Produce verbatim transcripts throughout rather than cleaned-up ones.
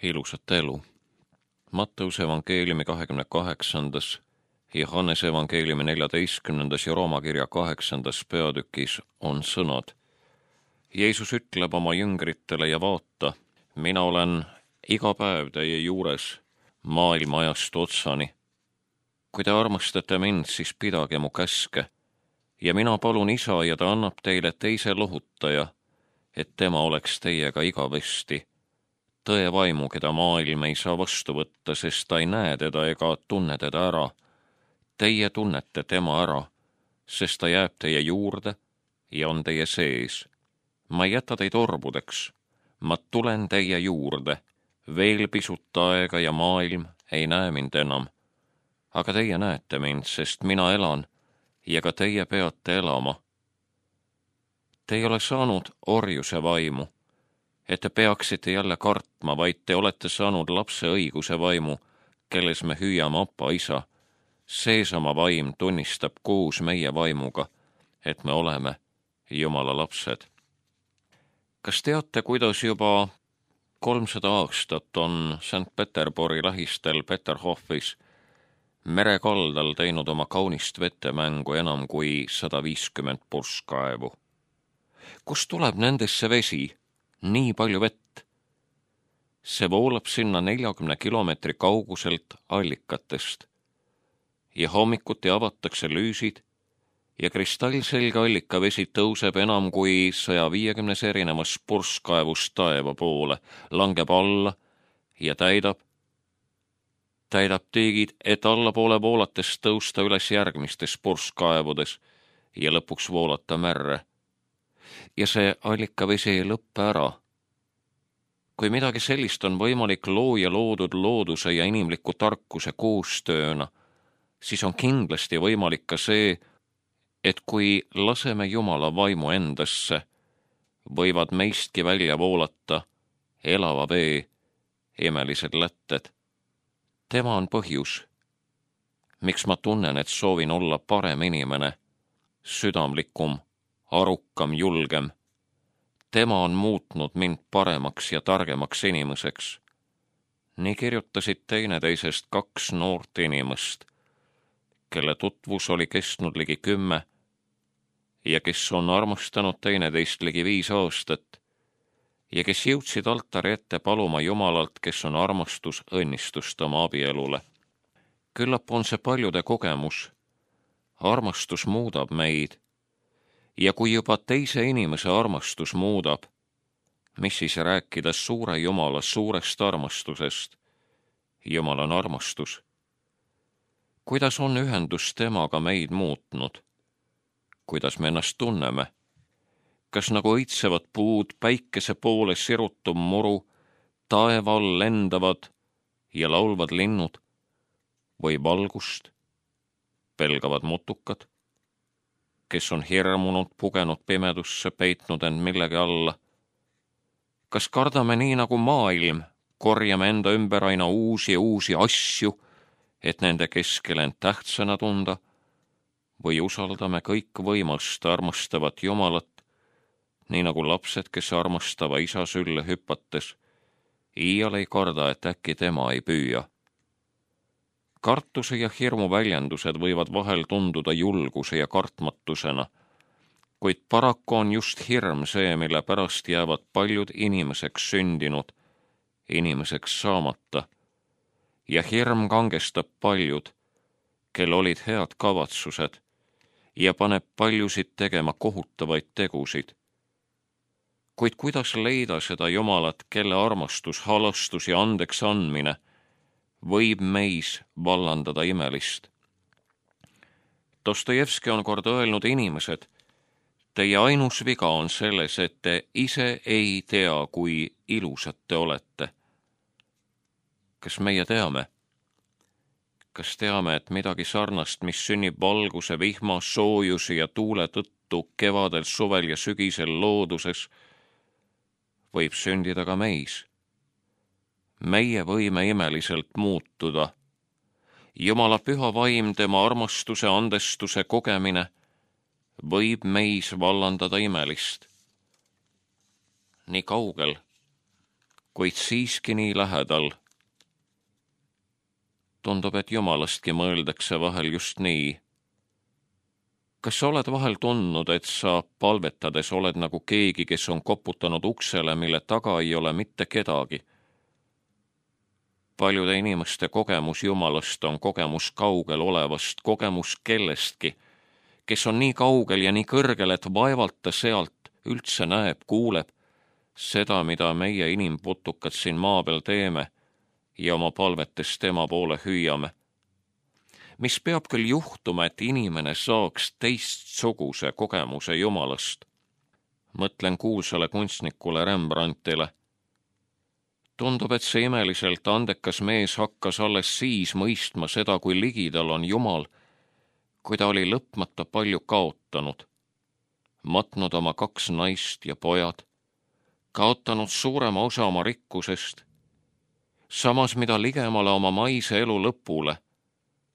ilusat elu. Matteuse evangeeliumi kahekümne kaheksandas, Johannese evangeeliumi neljateistkümnendas ja Rooma kirja kaheksandas peatükis on sõnad. Jeesus ütleb oma jüngritele ja vaata, mina olen iga päev teie juures maailma ajastu otsani. Kui te armastate mind, siis pidage mu käske ja mina palun Isa ja ta annab teile teise lohutaja, et tema oleks teiega igavesti. Tõe vaimu, keda maailm ei saa vastu võtta, sest ta ei näe teda ega tunne teda ära. Teie tunnete tema ära, sest ta jääb teie juurde ja on teie sees. Ma ei jäta teid orbudeks, ma tulen teie juurde, veel pisut aega ja maailm ei näe mind enam. Aga teie näete mind, sest mina elan ja ka teie peate elama. Te ei ole saanud orjuse vaimu, et te peaksite jälle kartma, vaid te olete saanud lapse õiguse vaimu, kelles me hüüame Appa Isa. Seesama vaim tunnistab koos meie vaimuga, et me oleme Jumala lapsed. Kas teate, kuidas juba kolmsada aastat on Sankt-Peterburi lähistel Peterhofis merekaldal teinud oma kaunist vetemängu enam kui sada viiskümmend purskkaevu? Kust tuleb nendesse vesi? Nii palju vett. See voolab sinna neljakümne kilomeetri kauguselt allikatest ja hommikuti avatakse lüüsid ja kristallselge allikavesi tõuseb enam kui saja viiekümnes erinevas purskkaevust taeva poole, langeb alla ja täidab, täidab tiigid, et allapoole voolates tõusta üles järgmistes purskkaevudes ja lõpuks voolata märre. Ja see allikavesi ei lõppe ära. Kui midagi sellist on võimalik looja loodud looduse ja inimliku tarkuse koostööna, siis on kindlasti võimalik ka see, et kui laseme Jumala vaimu endasse, võivad meistki välja voolata elava vee imelised lätted. Tema on põhjus, miks ma tunnen, et soovin olla parem inimene, südamlikum, arukam, julgem. Tema on muutnud mind paremaks ja targemaks inimeseks. Nii kirjutasid teineteisest kaks noort inimest, kelle tutvus oli kestnud ligi kümme ja kes on armastanud teineteist ligi viis aastat ja kes jõudsid altari ette paluma Jumalalt, kes on armastus, õnnistust oma abielule. Küllap on see paljude kogemus. Armastus muudab meid. Ja kui juba teise inimese armastus muudab, mis siis rääkida suure Jumala suurest armastusest? Jumal on armastus. Kuidas on ühendus temaga meid muutnud? Kuidas me ennast tunneme? Kas nagu õitsevad puud, päikese poole sirutum muru, taeva all lendavad ja laulvad linnud või valgust pelgavad mutukad, kes on hirmunud, pugenud pimedusse, peitnud end millegi alla? Kas kardame nii nagu maailm, korjame enda ümber aina uusi ja uusi asju, et nende keskel end tähtsana tunda, või usaldame kõik võimast armastavat Jumalat, nii nagu lapsed, kes armastava isa sülle hüpates, iial ei karda, et äkki tema ei püüa. Kartuse ja hirmu väljendused võivad vahel tunduda julguse ja kartmatusena, kuid paraku on just hirm see, mille pärast jäävad paljud inimeseks sündinud, inimeseks saamata, ja hirm kangestab paljud, kel olid head kavatsused, ja paneb paljusid tegema kohutavaid tegusid. Kuid kuidas leida seda Jumalat, kelle armastus, halastus ja andeks andmine võib meis vallandada imelist? Dostojevski on kord öelnud: inimesed, teie ainus viga on selles, et te ise ei tea, kui ilusad te olete. Kas meie teame? Kas teame, et midagi sarnast, mis sünnib valguse, vihma, soojuse ja tuule tõttu kevadel, suvel ja sügisel looduses, võib sündida ka meis? Meie võime imeliselt muutuda. Jumala püha vaim, tema armastuse, andestuse kogemine võib meis vallandada imelist. Nii kaugel, kuid siiski nii lähedal. Tundub, et Jumalastki mõeldakse vahel just nii. Kas sa oled vahel tundnud, et sa palvetades oled nagu keegi, kes on koputanud uksele, mille taga ei ole mitte kedagi? Paljude inimeste kogemus Jumalast on kogemus kaugel olevast, kogemus kellestki, kes on nii kaugel ja nii kõrgel, et vaevalt ta sealt üldse näeb, kuuleb seda, mida meie inimputukad siin maa peal teeme ja oma palvetes tema poole hüüame. Mis peab küll juhtuma, et inimene saaks teistsuguse kogemuse Jumalast? Mõtlen kuulsale kunstnikule Rembrandtile. Tundub, et see imeliselt andekas mees hakkas alles siis mõistma seda, kui ligidal on Jumal, kui ta oli lõpmata palju kaotanud, matnud oma kaks naist ja pojad, kaotanud suurema osa oma rikkusest, samas mida ligemale oma maise elu lõpule,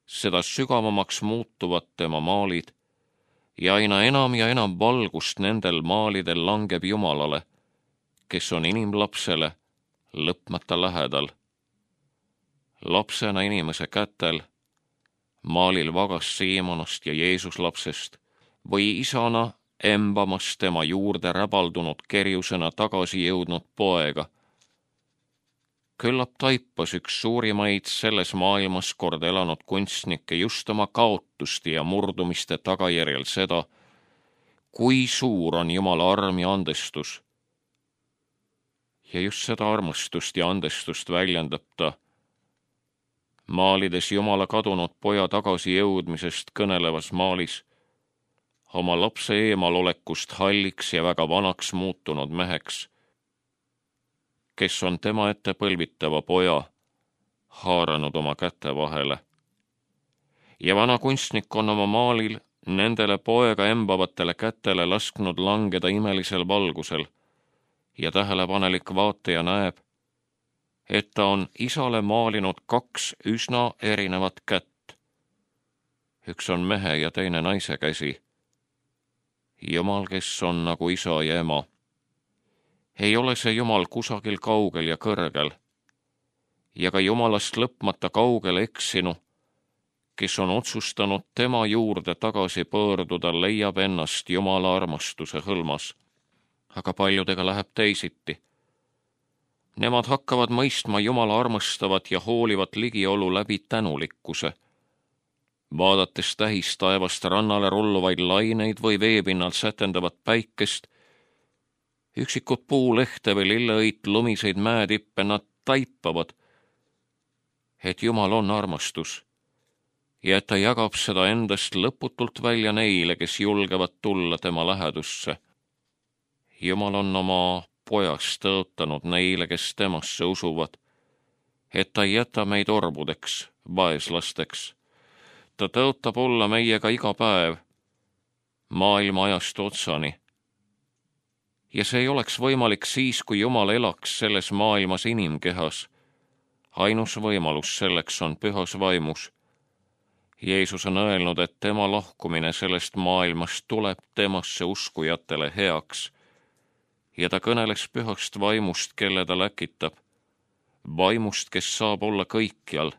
seda sügavamaks muutuvad tema maalid ja aina enam ja enam valgust nendel maalidel langeb Jumalale, kes on inimlapsele lõpmata lähedal. Lapsena inimese kätel, maalil vagas Siimonast ja Jeesus lapsest või isana embamas tema juurde räbaldunud kerjusena tagasi jõudnud poega. Küllap taipas üks suurimaid selles maailmas kord elanud kunstnikke just oma kaotusti ja murdumiste tagajärjel seda, kui suur on Jumala arm ja andestus. Ja just seda armastust ja andestust väljendab ta, maalides Jumala kadunud poja tagasi jõudmisest kõnelevas maalis, oma lapse eemalolekust halliks ja väga vanaks muutunud meheks, kes on tema ette põlvitava poja haaranud oma käte vahele. Ja vana kunstnik on oma maalil nendele poega embavatele kätele lasknud langeda imelisel valgusel ja tähelepanelik vaataja näeb, et ta on isale maalinud kaks üsna erinevat kätt. Üks on mehe ja teine naise käsi. Jumal, kes on nagu isa ja ema. Ei ole see Jumal kusagil kaugel ja kõrgel, ja ka Jumalast lõpmata kaugel eksinu, kes on otsustanud tema juurde tagasi pöörduda, leiab ennast Jumala armastuse hõlmas. Aga paljudega läheb teisiti. Nemad hakkavad mõistma Jumala armastavat ja hoolivat ligiolu läbi tänulikkuse. Vaadates tähis taevast rannale rulluvaid laineid või veepinnalt sätendavat päikest, üksikut puulehte või lilleõit lumiseid mäetippe, nad taipavad, et Jumal on armastus ja et ta jagab seda endast lõputult välja neile, kes julgevad tulla tema lähedusse. Jumal on oma pojast tõotanud neile, kes temasse usuvad, et ta ei jäta meid orbudeks, vaeslasteks. Ta tõotab olla meiega iga päev, maailma ajast otsani. Ja see ei oleks võimalik siis, kui Jumal elaks selles maailmas inimkehas. Ainus võimalus selleks on pühas vaimus. Jeesus on öelnud, et tema lahkumine sellest maailmast tuleb temasse uskujatele heaks. Ja ta kõneles pühast vaimust, kelle ta läkitab. Vaimust, kes saab olla kõikjal.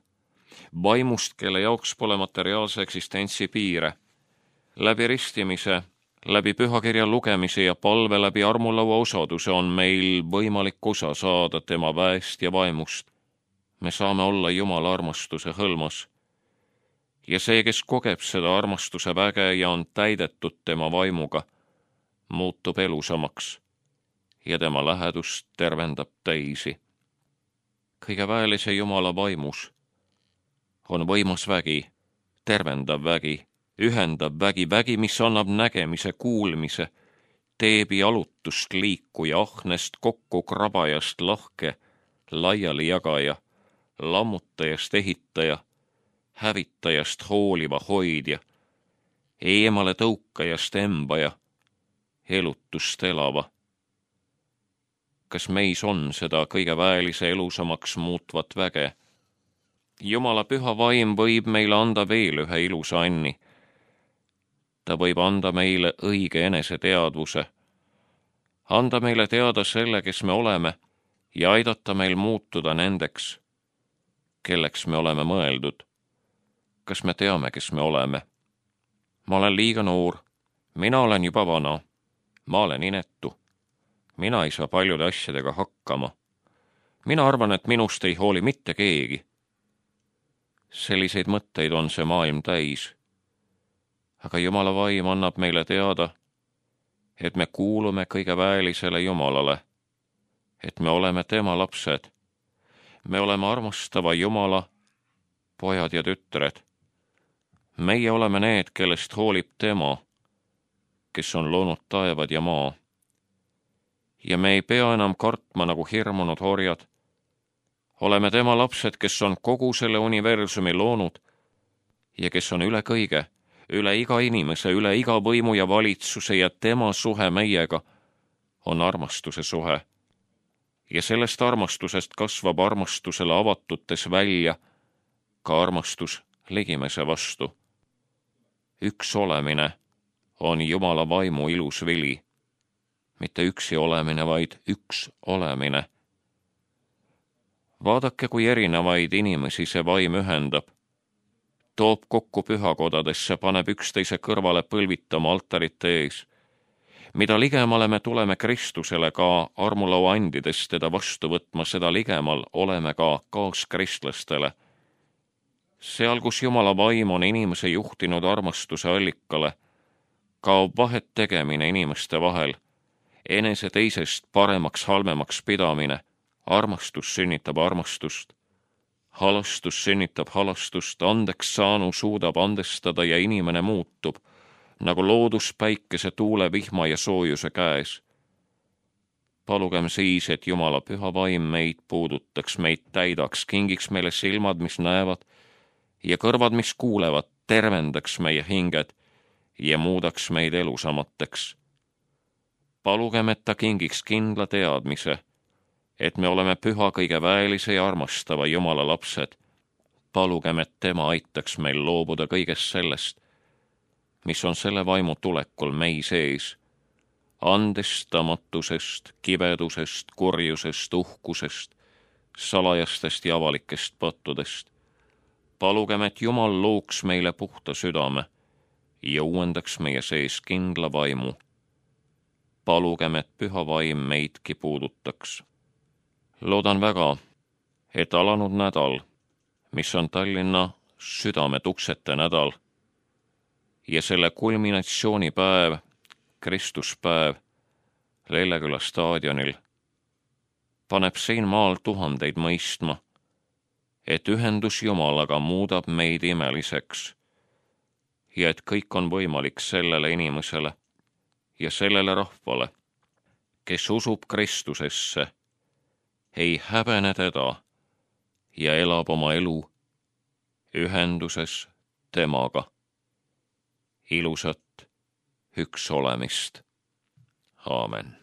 Vaimust, kelle jaoks pole materiaalse eksistentsi piire. Läbi ristimise, läbi pühakirja lugemise ja palve läbi armulaua osaduse on meil võimalik osa saada tema väest ja vaimust. Me saame olla Jumala armastuse hõlmas. Ja see, kes kogeb seda armastuse väge ja on täidetud tema vaimuga, muutub elusamaks ja tema lähedust tervendab teisi. Kõige väelise Jumala vaimus on võimas vägi, tervendav vägi, ühendav vägi, vägi, mis annab nägemise, kuulmise, teeb jalutust liikuja, ahnest kokku krabajast lahke, laiali jagaja, lammutajast ehitaja, hävitajast hooliva hoidja, eemale tõukajast embaja, elutust elava. Kas meis on seda kõige väelise elusamaks muutvat väge? Jumala püha vaim võib meile anda veel ühe ilusa anni. Ta võib anda meile õige eneseteadvuse, anda meile teada selle, kes me oleme ja aidata meil muutuda nendeks, kelleks me oleme mõeldud. Kas me teame, kes me oleme? Ma olen liiga noor, mina olen juba vana, ma olen inetu, mina ei saa paljude asjadega hakkama. Mina arvan, et minust ei hooli mitte keegi. Selliseid mõtteid on see maailm täis. Aga Jumala vaim annab meile teada, et me kuulume kõige väelisele Jumalale, et me oleme tema lapsed. Me oleme armastava Jumala pojad ja tütred. Meie oleme need, kellest hoolib tema, kes on loonud taevad ja maa. Ja me ei pea enam kartma nagu hirmunud orjad. Oleme tema lapsed, kes on kogu selle universumi loonud ja kes on üle kõige, üle iga inimese, üle iga võimu ja valitsuse ja tema suhe meiega on armastuse suhe. Ja sellest armastusest kasvab armastusele avatutes välja ka armastus ligimese vastu. Üks olemine on Jumala vaimu ilus vili. Mitte üksi olemine, vaid üks olemine. Vaadake, kui erinevaid inimesi see vaim ühendab. Toob kokku pühakodadesse, paneb üksteise kõrvale põlvitama altarite ees. Mida ligemale me tuleme Kristusele ka armulaua andides teda vastu võtma, seda ligemal oleme ka kaaskristlastele. Seal, kus Jumala vaim on inimese juhtinud armastuse allikale, kaob vahet tegemine inimeste vahel, enese teisest paremaks halvemaks pidamine, armastus sünnitab armastust, halastus sünnitab halastust, andeks saanu suudab andestada ja inimene muutub, nagu loodus päikese, tuule, vihma ja soojuse käes. Palugem siis, et Jumala püha vaim meid puudutaks, meid täidaks, kingiks meile silmad, mis näevad, ja kõrvad, mis kuulevad, tervendaks meie hinged ja muudaks meid elusamateks. Palugem, et ta kingiks kindla teadmise, et me oleme püha, kõige väelise ja armastava Jumala lapsed. Palugem, et tema aitaks meil loobuda kõigest sellest, mis on selle vaimu tulekul mei sees, andestamatusest, kibedusest, kurjusest, uhkusest, salajastest ja avalikest pattudest. Palugem, et Jumal looks meile puhta südame ja uuendaks meie sees kindla vaimu. Palugem, et püha vaim meidki puudutaks. Loodan väga, et alanud nädal, mis on Tallinna südametuksete nädal ja selle kulminatsioonipäev, Kristuspäev Lelleküla staadionil, paneb siin maal tuhandeid mõistma, et ühendus Jumalaga muudab meid imeliseks ja et kõik on võimalik sellele inimesele ja sellele rahvale, kes usub Kristusesse, ei häbene teda ja elab oma elu ühenduses temaga. Ilusat üks olemist. Aamen.